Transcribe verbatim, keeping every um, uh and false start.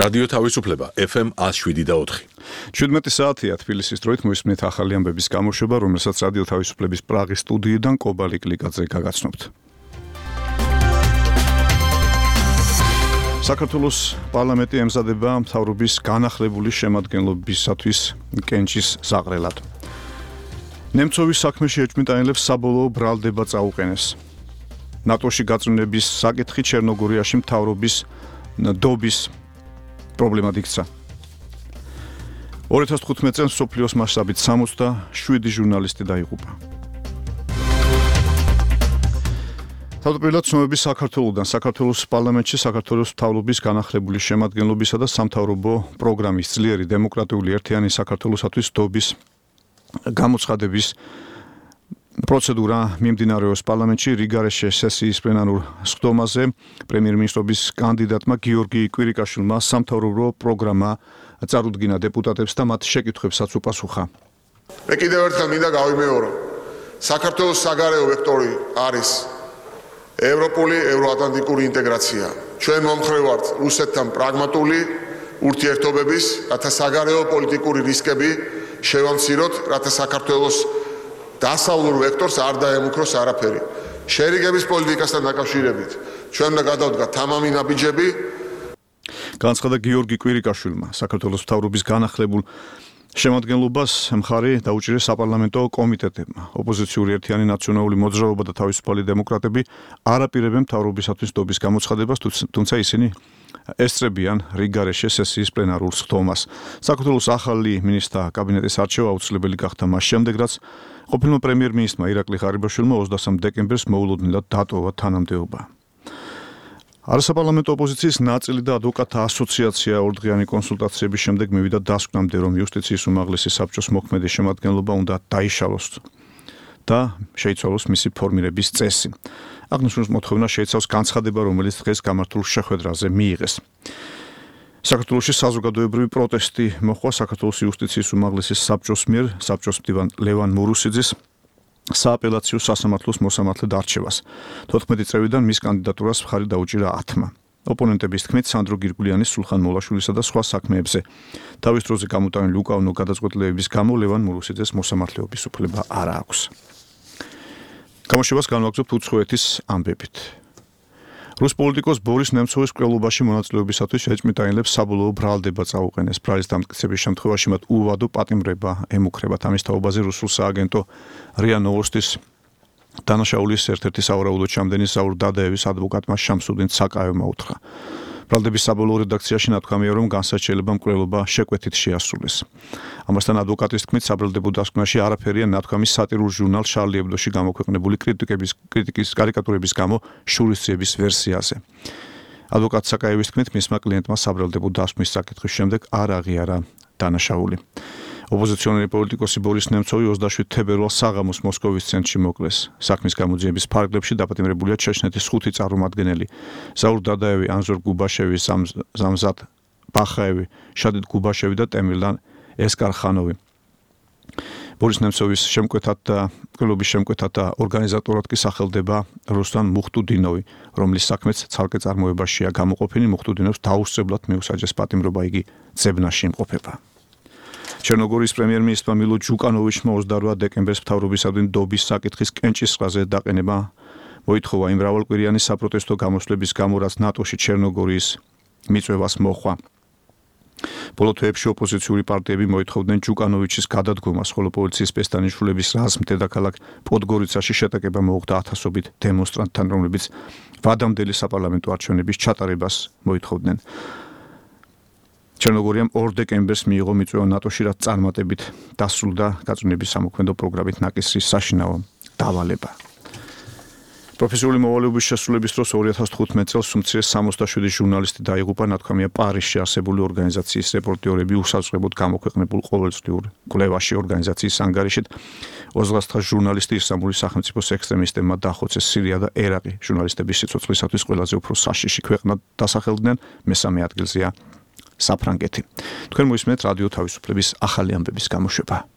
რადიო თავისუფლება ეფ ემ ათს შვიდი და ოთხი. შვიდმეტი საათია თბილისის დროით მოისმენთ ახალი ამბების გამოშვება, რომელსაც რადიო თავისუფლების პრაღის სტუდიიდან კობალი კლიკაძე გაგაცნობთ. საქართველოს პარლამენტი ემზადება მთავრობის განახლებული შემადგენლობისათვის კენჭის ზაღრელად. ნემცოვის საქმეში ეჭვმიტანილებს საბოლოო ბრალდება წაუყენეს. ნატოში გაწმენდების საკითხი ჩერნოგორიაში მთავრობის დობის პრობლემად იქცა. ორი ათას თხუთმეტ წელს მსოფლიოს მასშტაბით სამოცდაშვიდი ჟურნალისტი დაიღუპა. თავდაპირველად ცნობები საქართველოსთან საქართველოს პარლამენტში საქართველოს მთავრობის განახლებული შემადგენლობისა და სამთავრობო პროგრამის ძლიერი დემოკრატიული ერთიანი საქართველოსათვის დობის გამოცხადების პროცედურა მიმდინარეობს პარლამენტში რიგარეშე სესიის პლენარულ სხდომაზე პრემიერ-მინისტრობის კანდიდატმა გიორგი კვირიკაშვილმა სამთავრობო პროგრამა წარუდგინა დეპუტატებს და მათ შეკითხვებსაც უპასუხა. მე კიდევ ერთხელ მინდა გავიმეორო, საქართველოს საგარეო ვექტორი არის ევროპული, ევროატლანტიკური ინტეგრაცია. ჩვენ მომხრე ვართ რუსეთთან პრაგმატული ურთიერთობების, რათა საგარეო პოლიტიკური რისკები შევამციროთ, რათა საქართველოს დასავლურ ვექტორს არ დაემუქროს არაფერი. შერიგების პოლიტიკასთან დაკავშირებით ჩვენ უნდა გადავდგათ თამამი ნაბიჯები. განაცხადა გიორგი კვირიკაშვილმა საქართველოს მთავრობის განახლებულ შემადგენლობას მხარი დაუჭირეს საპარლამენტო კომიტეტებმა. ოპოზიციური ერთიანი ნაციონალური მოძრაობა და თავისუფალი დემოკრატები არ აპირებენ მთავრობისათვის დობის გამოცხადებას, თუმცა ისინი ესწრებიან რიგარეშე სესიის პლენარულ სხდომას. საქართველოს ახალი მინისტრთა კაბინეტის არჩევა აუცილებელი გახდა მას შემდეგ, რაც ყოფილმა პრემიერ-მინისტრმა ირაკლი ღარიბაშვილმა ოცდასამ დეკემბერს მოულოდნელად დატოვა თანამდებობა. არასაპარლამენტო ოპოზიციის ნაწილი და ადვოკატთა ასოციაცია ორდღიანი კონსულტაციების შემდეგ მივიდა დასკვნამდე, რომ იუსტიციის უმაღლესი საბჭოს მოქმედი შემადგენლობა უნდა დაიშალოს და შეიცვალოს მისი ფორმირების წესი. აღნიშნულ მოთხოვნა შეიცავს განცხადება, რომელიც დღეს გამართულ შეხვედრაზე მიიღეს. საქართველოში საზოგადოებრივი პროტესტი მოხდა საქართველოს იუსტიციის უმაღლესი საბჭოს მიერ საბჭოს მდივან ლევან მურუსიძის სააპელაციო სასამართლოს მოსამართლედ არჩევას. თოთხმეტი წრევიდან მის კანდიდატურას მხარი დაუჭირა ათმა. ოპონენტების თქმით, სანდრო გირგულიანის, სულხან მოლაშვილისა და სხვა საქმეებზე თავის დროზე გამოტანილი უკანონო გადაწყვეტილებების გამო ლევან მურუსიძეს მოსამართლეობის უფლება არ აქვს. გამოშვებას განვაგრძობთ უცხოეთის ამბებით. რუს პოლიტიკოს ბორის ნემცოვის მკვლელობაში მონაწილეობისათვის ეჭვმიტანილებს საბოლოო ბრალდება წაუყენეს. ბრალის დამტკიცების შემთხვევაში მათ უვადო პატიმრება ემუქრებათ. ამის თაობაზე რუსულ სააგენტო რია ნოვოსტის დანაშაულის ერთ-ერთი სავარაუდო ჩამდენი საურ დადაევის ადვოკატმა შამსუდინ ცაკაევმა უთხრა. ბრალდების საბოლოო რედაქციაში ნათქვამია, რომ განსაჩივრება მკვლელობა შეკვეთით შეასრულეს. ამასთან ადვოკატის თქმით, საბრალდებო დასკვნაში არაფერია ნათქვამის სატირულ ჟურნალ შარლი ებდოში გამოქვეყნებული კრიტიკების კრიტიკის კარიკატურების გამო შურისძიების ვერსიაზე. ადვოკატ ცაკაევის თქმით, მისმა კლიენტმა საბრალდებო დასკვნის საკითხის შემდეგ არ აღიარა დანაშაული. ოპოზიციონერი პოლიტიკოსი ბორის ნემცოვი ოცდაშვიდ თებერვალს საღამოს მოსკოვის ცენტრში მოკლეს. საქმის გამოძიების ფარგლებში დაპატიმრებულია ჩეჩნეთის ხუთი წარმომადგენელი: ზაურ დადაევი, ანზორ გუბაშევი, ზამზად ბახაევი, შადიდ გუბაშევი და ტემირლან ესკარხანოვი. ბორის ნემცოვის შემკვეთად და მკვლელობის შემკვეთად და ორგანიზატორად კი სახელდება რუსლან მუხტუდინოვი, რომლის საქმეც ცალკე წარმოებაშია გამოყოფილი. მუხტუდინოვს დაუსწრებლად მიუსაჯეს პატიმრობა, იგი ძებნაში იმყოფება. ჩერნოგორიის პრემიერ-მინისტრმა მილო ჯუკანოვიჩმა ოცდაორ დეკემბერს მთავრობისადმი დობის საკითხის კენჭისყრაზე დაყენება მოითხოვა იმ მრავალკვირიანი საპროტესტო გამოსვლების გამო, რაც ნატოში ჩერნოგორიის მიწვევას მოჰყვა. ბოლო თვეებში ოპოზიციური პარტიები მოითხოვდნენ ჯუკანოვიჩის გადადგომას, ხოლო პოლიციის პესტანიშვილების რაზმ დედაქალაქ პოდგორიცაში შეტაკება მოუხდა ათასობით დემონსტრანტთან, რომლებიც ვადამდელი საპარლამენტო არჩევნების ჩატარებას მოითხოვდნენ. ჩერნოგორიამ ორ დეკემბერს მიიღო მიწვევა ნატოში, რაც წარმატებით დასრულდა გაწმენდების სამოქმედო პროგრამით ნაკისრის საშინაო დავალება. პროფესიული მოვალეობის შესრულების დროს ორი ათას თხუთმეტ წელს უმცირეს სამოცდაშვიდი ჟურნალისტი დაიღუპა. ნათქვამია პარიზში არსებული ორგანიზაციის რეპორტიორები უსაზღვრებოდ გამოქვეყნებულ ყოველწლიურ კვლევაში ორგანიზაციის ანგარიშით ოცდაათი ჟურნალისტი ისლამური სახელმწიფოს ექსტრემისტებმა დახოცეს. სირია და ერაყი ჟურნალისტების სიცოცხლისათვის ყველაზე უფრო საშიში ქვეყნად დასახელდნენ, მესამე ადგილზეა საფრანგეთი. თქვენ მოისმენთ რადიო თავისუფლების ახალი ამბების გამოშვება.